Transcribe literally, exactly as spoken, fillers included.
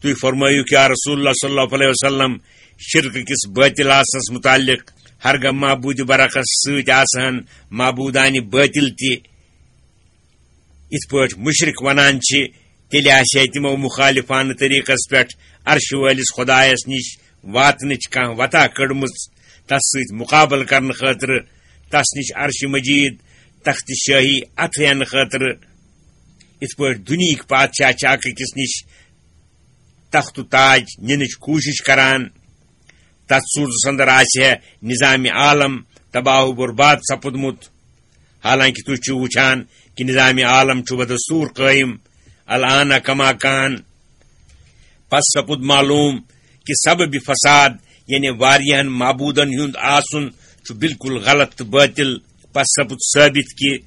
تُہۍ فرمٲیِو کیا رسول اللہ صلی اللہ علیہ وسلم، شرک کِس باطل آسنس متعلق، ہرگاہ معبود برحقس سۭتۍ آسہٕ ہن معبودانہِ باطل تہِ، یِتھ پٲٹھۍ مُشرِک ونان چھِ، تیٚلہِ آسہِ ہے تِمو مُخالفانہٕ طریٖقس پٮ۪ٹھ عرشہِ وٲلِس خۄدایس نِش واتنٕچ کانٛہہ وتہ کٔڑمٕژ، تس سۭتۍ مُقابلہٕ کرنہٕ خٲطرٕ، تس نِش عرشہِ مجیٖد، تخت شٲہی اتھٕ ہٮ۪نہٕ خٲطرٕ۔ یِتھ پٲٹھۍ دُنیہٕکۍ پادشاہ چھِ اکھ أکِس نِش تخت و تاج نِنٕچ کوٗشِش کران، تتھ صوٗرتس اندر آسہِ ہے نظام عالم تباہ و برباد سپُدمُت۔ حالانکہ تُہۍ چھِو وٕچھان کہِ نظام عالم چھُ بدستوٗر قٲیِم، الآن کما کان۔ پس سپُد معلوٗم کہِ سبب فساد، یعنی واریاہن معبوٗدن ہُنٛد آسُن، چھُ بالکل غلط تہٕ باطل۔ پس سپُد ثٲبت کہِ